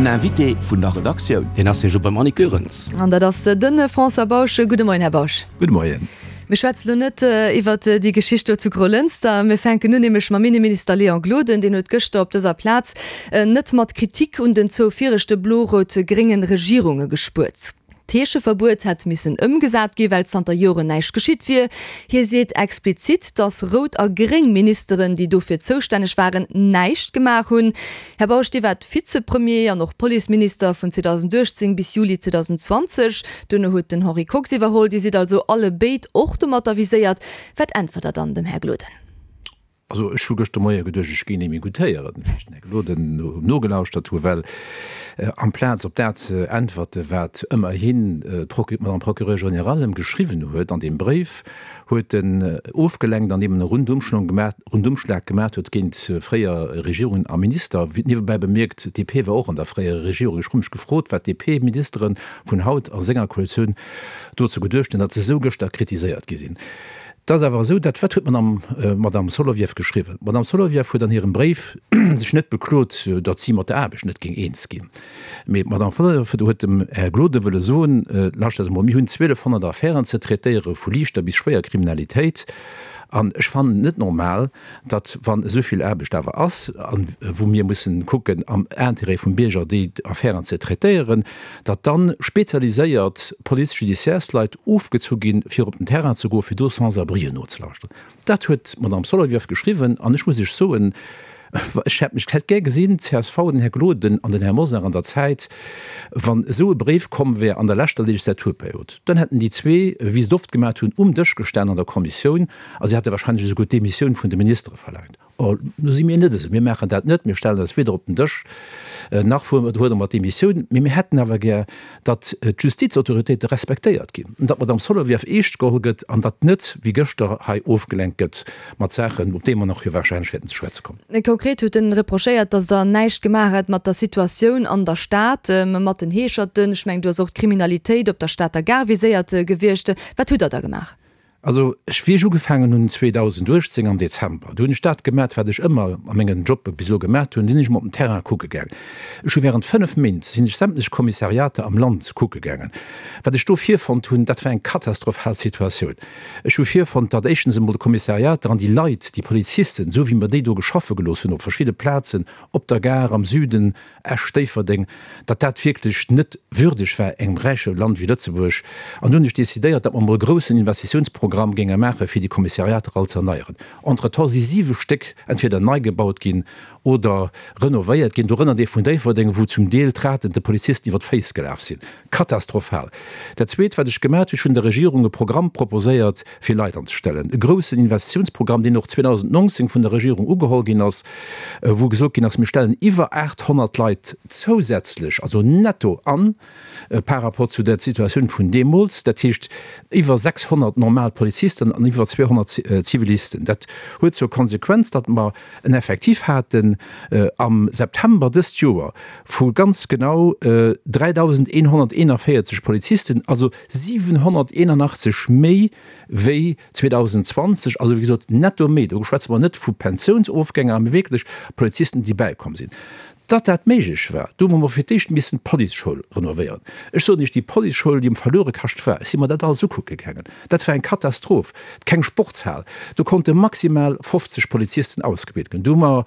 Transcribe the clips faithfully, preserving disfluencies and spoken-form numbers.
Den Invité vun der Redaktioun. Deen ass jo beim Annick Goerens. An dat ass de François Bausch. Gudde Moien, Här Bausch. Gudde Moien. Mir schwätzen elo net iwwert déi Geschicht do zu Grolënster. Mir fänken un nämlech mam Inneminister Léon Gloden. Deen huet gëschter op dëser Plaz net mat Kritik un den zwou viregte blo-rout-grénge Regierunge gespuert. D'Heescheverbuet hätt missen ëmgesat gi well zanter Joren näischt geschitt wier. Hie seet explizit, datt rout a gréng Ministeren, déi dofir zoustänneg waren, näischt gemaach hunn. Här Bausch, Dir waart Vizepremier an och Policeminister vun zweedausendachtzéng bis Juli zweedausendzwanzeg. Duerno huet den Henri Kox iwwerholl. Dir sidd also alle béid och domatter viséiert. Wat äntwert Der dann dem Här Gloden? Also ech hu gëschter Moie geduecht, ech géing némme gutt héieren, wéi ech den Här Gloden nogelauschtert hu, well amplaz op dat ze äntwerte wat ëmmerhin d'Madame Procureure générale em geschriwwen huet an deem Bréif, huet en ofgelenkt andeem en e Rundumschlag gemaat huet géint fréier Regierungen a Minister. Niewebäi bemierkt, d'D P war och an der fréierer Regierung. Ech hu mech gefrot, wat d'D P-Ministere vun haut a senger Koalitioun dozou geduecht hunn, datt se esou gëschter kritiséiert gi sinn. Et ass awer esou, dat wat huet d'Madame Madame Solovieff geschriwwen? D'Madame Solovieff huet an hirem Bréif sech net beklot, datt si mat der Aarbecht net géing eens ginn. Mee d'Madame Solovieff huet dem Här Gloden wëlle soen, Lauschtert emol, mir hunn zwielefhonnert Affären ze traitéiere vu liichter bis schwéier Kriminalitéit, an ech fannen et net normal, datt wann esou vill Aarbecht awer ass, a wou mir mussen kucken am Intérêt vum Bierger déi Affären ze traitéieren, datt dann spezialiséiert Police-judiciaires-Leit ofgezu ginn, fir op den Terrain ze goen, fir do Sans-abrien nozelauschteren. Dat huet d'Madame Solovieff geschriwwen an ech muss Iech soen, ech hätt mech, hätt gär gesinn, d'C S V, den Här Gloden an den Här Mosar an der Zäit, wann esou e Bréif komm wär an der leschter Legislaturperiod, dann hätten déi zwee, wéi se et oft gemaat hunn, um Dësch gestan an der Kommissioun a se hätte wahrscheinlech esouguer d'Demissioun vun de Ministere verlaangt. Or, nu si mir net esou, mir maachen dat net, mir stellen eis weder op den Dësch, nach fuerdere mer d'Demissioun, mee mir hätten awer gär, datt d'Justizautoritéite respektéiert ginn an datt d'Madame Solovieff eescht geholl gëtt an datt net, wéi gëschter, hei ofgelenkt gëtt mat Saachen, op déi mer nach jo wahrscheinlech wäerten ze schwätze kommen. Konkret huet en reprochéiert, datt Der näischt gemaach hätt mat der Situatioun an der Stad, mat den Heescherten. Ech mengen, do ass och d'Kriminalitéit op der Stater Gare viséiert gewiescht. Wat hutt Der da gemaach? Also ech, wéi ech ugefaangen hunn zweedausenduechtzéng am Dezember, do hunn ech dat gemat, wat ech ëmmer a mengen Jobbe bis elo gemat hunn, sinn ech emol op den Terrain kucke gaangen. Ech hu während fënnef Méint sinn ech sämtlech Kommissariater am Land kucke gaangen. Wat ech do virfonnt hunn, dat war eng katastrophal Situatioun. Ech hu virfonnt, datt éischtens emol d'Kommissariater an déi Leit, déi Polizisten, esou wéi mer déi do geschaffe gelooss hunn op verschidde Plazen, op der Gare, am Süden, Esch, Déifferdeng, datt dat wierklech net würdeg war engem räiche Land wéi Lëtzebuerg. An du hunn ech decidéiert, datt mer emol e groussen Investitiounsprogramm géinge maachen, fir déi Kommissariater all ze erneieren. Entretemps si siwe Stéck entweder nei gebaut ginn oder renovéiert ginn, dorënner dee vun Déifferdeng, wou zum Deel d'Raten de Polizisten iwwer d'Féiss gelaf sinn. Katastrophal! Dat Zweet, wat ech gemaat hunn, ech hunn der Regierung e Programm proposéiert, fir Leit anzestellen, e groussen Investitiounsprogramm, deen och zweedausendnonzéng vun der Regierung ugeholl ginn ass, wou gesot ginn ass, mir stellen iwwer aathonnert Leit zousätzlech, also netto an, par rapport zu der Situatioun vun deemools, dat heescht iwwer sechshonnert normal Polizisten an iwwer zweehonnert Zivilisten. Dat huet zur Konsequenz, datt mer en Effectif haten am September dëst Joer vu ganz genau dräidausendeenhonnerteenanvéierzeg Polizisten, also siwenhonnerteenanachtzeg méi wéi zweedausendzwanzeg, also wéi gesot netto méi. Do schwätze mer net vu Pensiounsofgänger, mee wierklech Polizisten, déi bäikomm sinn. Datt dat méiglech war, do hu mer fir d'éischt missen d'Policeschoul renovéieren. Ech soen Iech, déi Policeschoul, déi um Verluerekascht war, ech si mer dat alles ukucke gaangen, dat war eng Katastroph. Keng Sportshal, do konnte maximal fofzeg Polizisten ausgebilt ginn. Do hu mer,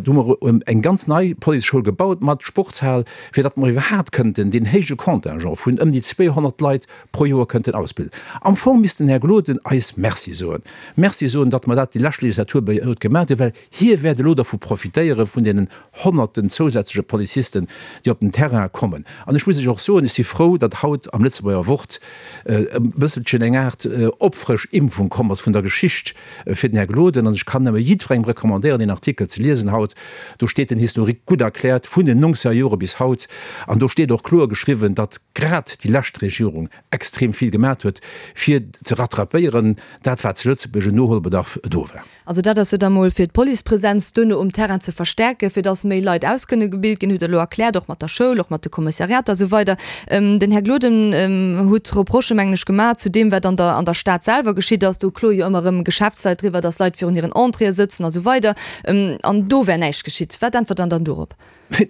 do hu mer eng ganz nei Policeschoul gebaut mat Sportshal, fir datt mer iwwerhaapt kënnten deen héije Contingent vun ëm déi zweehonnert Leit pro Joer kënnten ausbilden. Am Fong misst den Här Gloden eis Merci soen. Merci soen, datt mer dat déi lescht Legislaturperiod gemaach hunn, well hie wäert elo dervu profitéiere vun deenen Honnerten zousätzleche Polizisten, déi op den Terrain kommen. An ech muss Iech och soen, ech si frou, datt haut am Lëtzebuerger Wort e bësselchen eng Aart Opfrësch-Impfung komm ass vun der Geschicht fir den Här Gloden. An ech kann nëmme jiddwerengem recommandéieren, deen Artikel ze liesen haut. Do steet den Historique gutt erkläert vun den nongzeger Jore bis haut. An do steet och kloer geschriwwen, datt grad déi lescht Regierung extrem vill gemat huet, fir ze rattrapéieren dat, wat zu Lëtzebuerg un Noholbedarf do war. Also dat ass jo da mol fir d'Policepresenz duerno um Terrain ze verstärken, fir dass méi Leit ausgebilt ginn, hutt Der elo erkläert, och mat der Schoul, och mat de Kommissariater a sou weider. Den Här Gloden huet Reprochë mengen ech gemaach zu deem, wat an der an der Stad selwer geschitt ass. Do kloe jo ëmmer erëm Geschäftsleit driwwer, datt Leit virun hiren Entréeë sëtzen a sou weider. An do wär näischt geschitt. Wat äntwert Der dann dorop?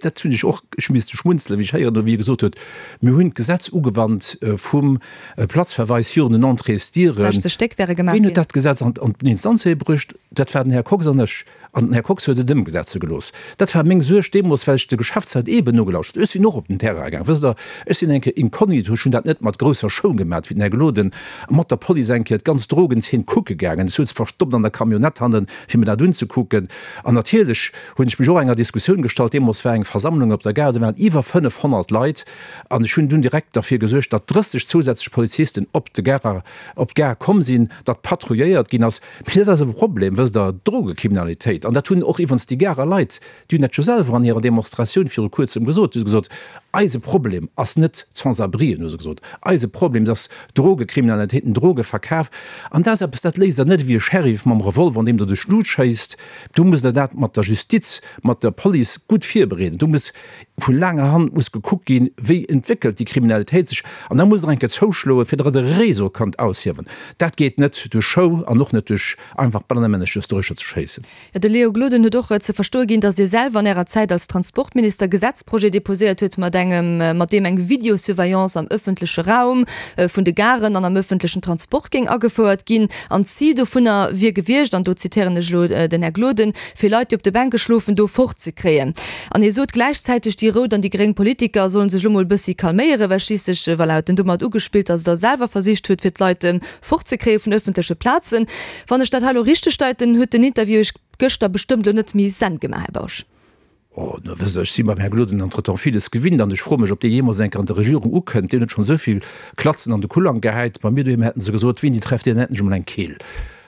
Dat hunn ech och, ech hu misste schmunzelen, wéi ech héieren hunn, wéi e gesot huet, Mir hunn d'Gesetz ugewannt vum Platzverweis virun den Entréesdieren. sechzeg Stéck wäre gemaach Wien huet ginn. dat Gesetz an d'Instanzewee bruecht? Dat war den Här Kox an ech. An den Här Kox huet et ëmgesetze gelooss. Dat war meng Suerg deemools, well ech de Geschäftsleit eeben nogelauschtert hunn. Ech sinn och op den Terrain gaang, wësst Der. Ech sinn eng Kéier inkognito, ech hunn dat net mat grousser Show gemaat, wéi den Här Gloden, mat der Police eng Kéier d'ganz Drogenzeen kucke gaangen. Ech souz verstoppt an der Camionnette hannen, fir mir dat unzekucken. An natierlech hunn ech mech och enger Diskussioun gestallt. Deemools war eng Versammlung op der Gare, do waren iwwer fënnefhonnert Leit. An ech hunn dunn direkt derfir gesuergt, datt drësseg zousätzlech Polizisten op de Garer, op d'Gare komm sinn, datt patrouilléiert ginn ass. Mee dat ass e Problem, wësst Der, d'Drogekriminalitéit. An dat hunn och iwwerens déi Garer Leit, déi hunn dat jo selwer an hirer Demonstratioun viru Kuerzem gesot. Déi hu gesot, Eise Problem ass net d'Sans-abrien, hu se gesot, eise Problem ass d'Drogekriminalitéit, den Drogeverkaf. An dat ass eppes, dat léist Der net ewéi e Sheriff mam Revolver, an deem Der duerch d'Lut schéisst. Do musst Der dat mat der Justiz, mat der Police gutt virbereeden. Do muss vu laanger Hand muss gekuckt ginn, wéi entwéckelt déi Kriminalitéit sech. An da musst Der eng Kéier zouschloen, fir datt Der e Réseau kannt aushiewen. Dat geet net duerch Show an och net duerch einfach bannemännesch just doruechter ze schéissen. Jo, de Léo Gloden huet och ze verstoe ginn, datt Dir selwer an Ärer Zäit als Transportminister Gesetzprojet deposéiert huet, mat engem, mat deem eng Videosurveillance am ëffentleche Raum vun de Garen an am ëffentlechen Transport géing agefouert ginn. An d'Zil dovunner wier gewiescht, an do zitéieren ech elo den Här Gloden, fir Leit, déi op de Bänke schlofen, do fortzekréien. An hie sot gläichzäiteg, déi rout an déi gréng Politiker sollen sech elo mol e bëssi calméieren, well schliisslech, voilà, huet en domat ugespillt, datt Der selwer versicht hutt, fir d'Leit fortzekréie vun ëffentleche Plazen. Wann ech dat hei elo richteg deiten, huet den Interview Iech gëschter bestëmmt elo net méi Senn gemaach, Här Bausch. Oh, da wësst Der, ech si mam Här Gloden entretemps villes gewinnt an ech froe mech, ob dee jeemools eng Kéier an der Regierung ukënnt. Deen huet schonn esou vill Klatzen an de Kullang gehäit. Bei mir doheem hätten se gesot, Wien déi trefft, deen hätt nech emol eng Keel.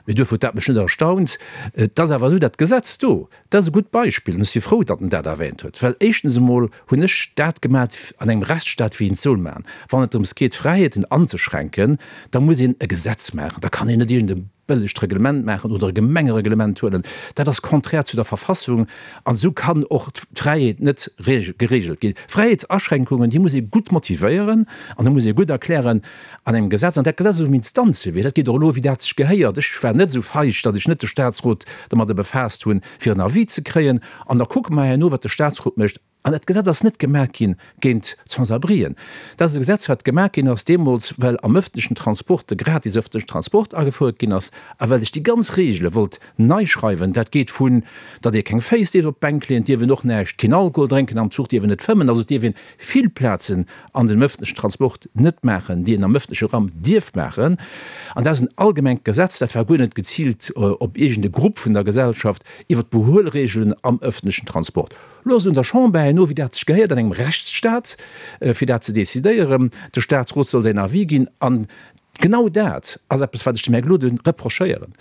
Mee duerfir huet dat mech net erstaunt. Et ass awer esou, dat Gesetz do, dat ass e gutt Beispill an ech si frou, datt en dat erwähnt huet, well éischtens emol hunn ech dat gemat an engem Rechtsstaat, wéi een et soll maachen. Wann et drëms geet, Fräiheeten anzeschränken, da muss een e Gesetz maachen. Da kann een net iergend e bëllegt Reglement maachen oder e Gemengereglement huelen, dat ass konträr zu der Verfassung an esou kann och d'Fräiheet net geregelt ginn. Fräiheetsaschränkungen, déi muss ee gutt motivéieren an da muss ee gutt erklären an engem Gesetz. An dat Gesetz ass um Instanzewee, dat geet och elo, wéi dat sech gehéiert. Ech war net esou feig, datt ech net de Statsrot domadder befaasst hunn, fir en Avis ze kréien. An da kucke mer herno, wat de Statsrot mécht. An dat Gesetz ass net gemaach gi géint d'Sans-abrien. Dat ass e Gesetz, wat gemaach ginn ass deemools, well am ëffentlechen Transport de gratis ëffentlechen Transport agefouert ginn ass a well ech déi ganz Regele wollt nei schreiwen. Dat geet vun, datt ee keng Féiss dierf op d'Bänk leeën, et dierf een och näischt, keen Alkohol drénken am Zuch, dierf een net fëmmen, also et dierf een vill Plazen an dem ëffentlechen Transport net maachen, déi een am ëffentleche Raum dierf maachen. An dat ass en allgemengt Gesetz, dat war guer net geziilt op iergend e Grupp vun der Gesellschaft, iwwert d'Behuelregelen am ëffentlechen Transport. Lo ass et un der Chamber herno, wéi dat sech gehéiert an engem Rechtsstaat, fir dat ze decidéieren. De Staatsrot soll säin Avis ginn. An genau dat ass eppes, wat ech dem Här Gloden reprochéieren.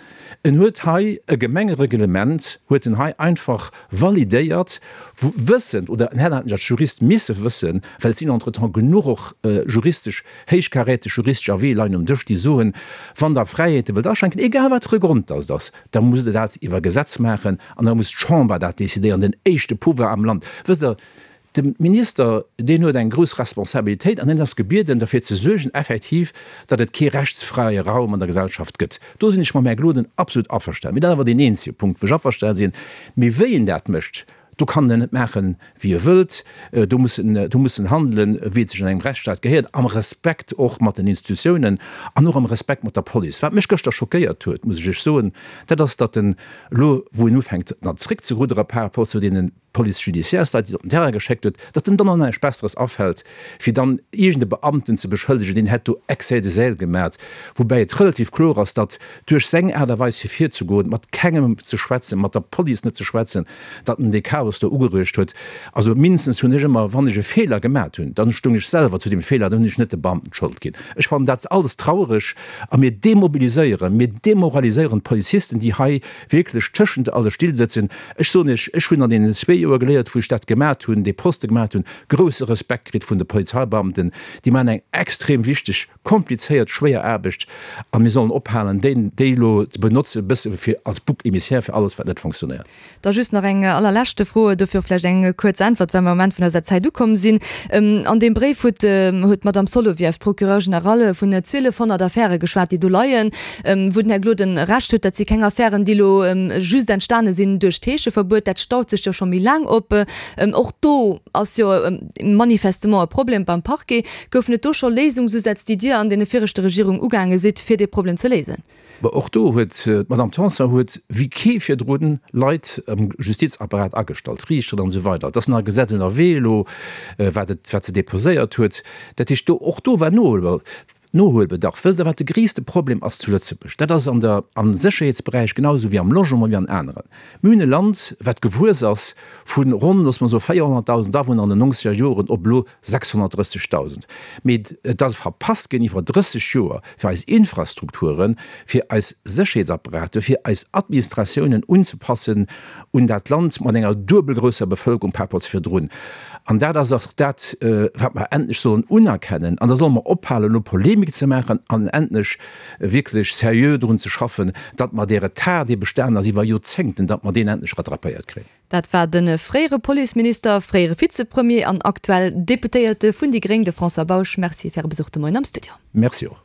En huet hei e Gemengereglement, huet en hei einfach validéiert, wëssend, oder en hätt eigentlech als Jurist misse wëssen, well et sinn entretemps genuch och juristesch, héichkaräteg juristesch Avisë leien um Dësch, déi soen, Wann Der Fräiheete wëllt aschränken, egal wat fir e Grond dass et ass, da musst Der dat iwwer Gesetz maachen an da muss d'Chamber dat decidéieren, den éischte Pouvoir am Land. Wësst Der, de Minister, deen huet eng grouss Responsabilitéit an en ass gebieden, derfir ze suergen effektiv, datt et kee rechtsfräie Raum an der Gesellschaft gëtt. Do sinn ech mam Här Gloden absolut averstanen. Mee dat ass awer deen eenzege Punkt, wou ech averstane sinn. Mee wéi en dat mécht, Do kann en net maachen, wéi e wëllt. Do muss en, do muss en handelen, wéi et sech an engem Rechtsstaat gehéiert, am Respekt och mat den Institutiounen an och am Respekt mat der Police. Wat mech gëschter schockéiert huet, muss ech Iech soen, dat ass, datt en elo, wou en ufänkt nach zréckzeruddere par rapport zu deene Police judiciaires Leit, déi en op den Terrain geschéckt huet, datt em dann och näischt Besseres afält, fir dann iergend e Beamten ze beschëllegen, deen hätt do Excès de zèle gemat, woubäi et relativ kloer ass, datt duerch seng Aart a Weis fir virzegoen, mat kengem ze schwätzen, mat der Police net ze schwätzen, datt en dee Chaos do ugeruecht huet. Also mindestens hunn ech ëmmer, wann ech e Feeler gemat hunn, dann stoung ech selwer zu deem Feeler, dann hunn ech net de Beamten d'Schold ginn. Ech fannen dat alles trauereg a mir demobiliséieren, mir demoraliséieren d'Polizisten, déi hei wierklech tëschent alle Still sëtzen. Ech soen Iech, ech hunn an deenen zwee Joer geléiert, wou ech dat gemat hunn, dee Poste gemat hunn, grousse Respekt kritt vun de Polizeibeamten. Déi maachen eng extrem wichteg, komplizéiert, schwéier Aarbecht a mir sollen ophalen, déi elo ze benotze bësse fir als Bouc émissaire fir alles, wat net fonctionnéiert. Da just nach eng allerleschte Fro. Fro, dofir och vläicht eng kuerz Äntwert, well mer am Enn vun eiser Zäit ukomm sinn. An deem Bréif huet huet d'Madame Solovieff, d'Procureure générale, vun zwielefhonnert Affäre geschwat, déi do leien, wou den Här Gloden Recht huet, dat si keng Affären, déi elo just entstane sinn duerch d'Heescheverbuet. Dat staut sech jo scho méi laang op. Och do ass jo manifestement e Problem beim Parquet. Goufen et do scho Léisungsusätz, déi Dir an deene viregte Regierung ugaange sidd, fir dee Problem ze léisen? Bon, och do huet d'Madame Tanson huet wéi kee virdrun Leit am Justizapparat agestallt, Riichteren an esou weider. Et ass nach e Gesetz ënnerwee elo, wat et, wat se déposéiert huet. Dat heescht, do, och do war Nohuelbedarf. Wësst Der, wat de gréisste Problem ass zu Lëtzebuerg? Dat ass an der, am Sécherheetsberäich genau esou wéi am Logement, wéi an aneren. Mir hunn e Land, wat gewuess ass vu ronn, loosse mer soe véierhonnertdausend Awunner an den nonzeger Joren op elo sechshonnertdrëssegdausend. Mee et ass verpasst ginn iwwer drësseg Joer, fir eis Infrastrukturen, fir eis Sécherheetsapparate, fir eis Administratiounen unzepassen un dat Land mat enger duebel grousser Bevëlkerung par rapport zu virdrun. An dat ass och dat, wat mer endlech sollen unerkennen. An da solle mer ophalen, elo Polemik ze maachen an endlech wierklech seriö drun ze schaffen, datt mer dee Retard, dee bestanen ass iwwer Joerzéngten, datt mer deen endlech rattrapéiert kréien. Dat war de fréiere Policeminister, fréiere Vizepremier an aktuell Deputéierte vun déi Gréng, de François Bausch. Merci fir Äre Besuch de Moien am Studio. Merci och.